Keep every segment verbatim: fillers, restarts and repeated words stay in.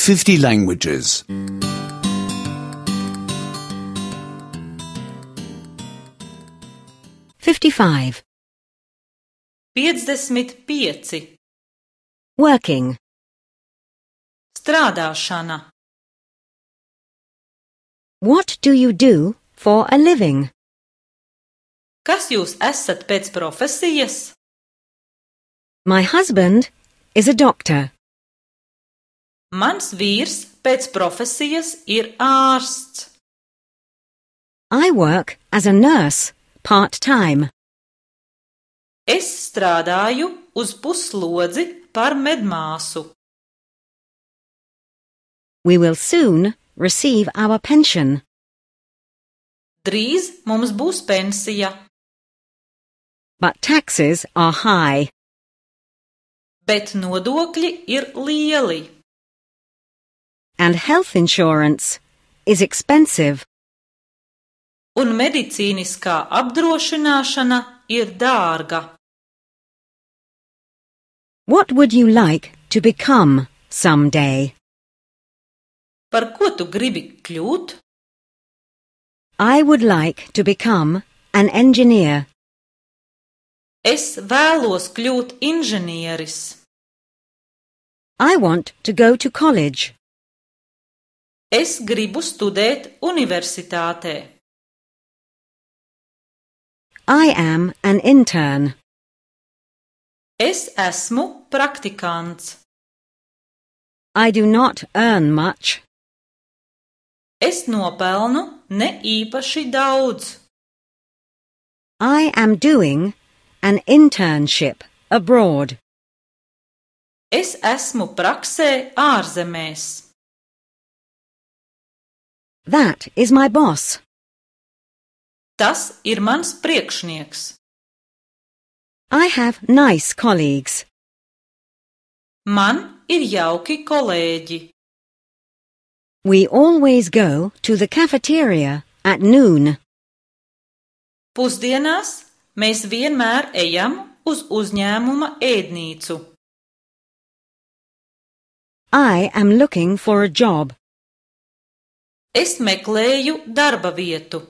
fifty languages. fifty-five. piecdesmit pieci. Working. Strādāšana. What do you do for a living? Kas jūs esat pēc profesijas? My husband is a doctor. Mans vīrs pēc profesijas ir ārsts. I work as a nurse, part-time. Es strādāju uz pusslodzi par medmāsu. We will soon receive our pension. Drīz mums būs pensija. But taxes are high. Bet nodokļi ir lieli. And health insurance is expensive. Un medicīniskā apdrošināšana ir dārga. What would you like to become someday? Par ko tu gribi kļūt? I would like to become an engineer. Es vēlos kļūt inženieris. I want to go to college. Es gribu studēt universitātē. I am an intern. Es esmu praktikants. I do not earn much. Es nopelnu ne īpaši daudz. I am doing an internship abroad. Es esmu praksē ārzemēs. That is my boss. Tas ir mans priekšnieks. I have nice colleagues. Man ir jauki kolēģi. We always go to the cafeteria at noon. Pusdienās mēs vienmēr ejam uz uzņēmuma ēdnīcu. I am looking for a job. Es meklēju darba vietu.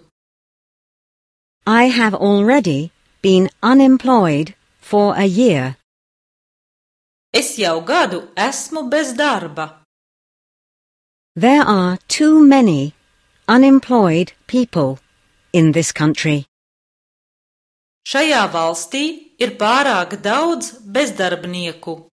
I have already been unemployed for a year. Es jau gadu esmu bez darba. There are too many unemployed people in this country. Šajā valstī ir pārāk daudz bezdarbnieku.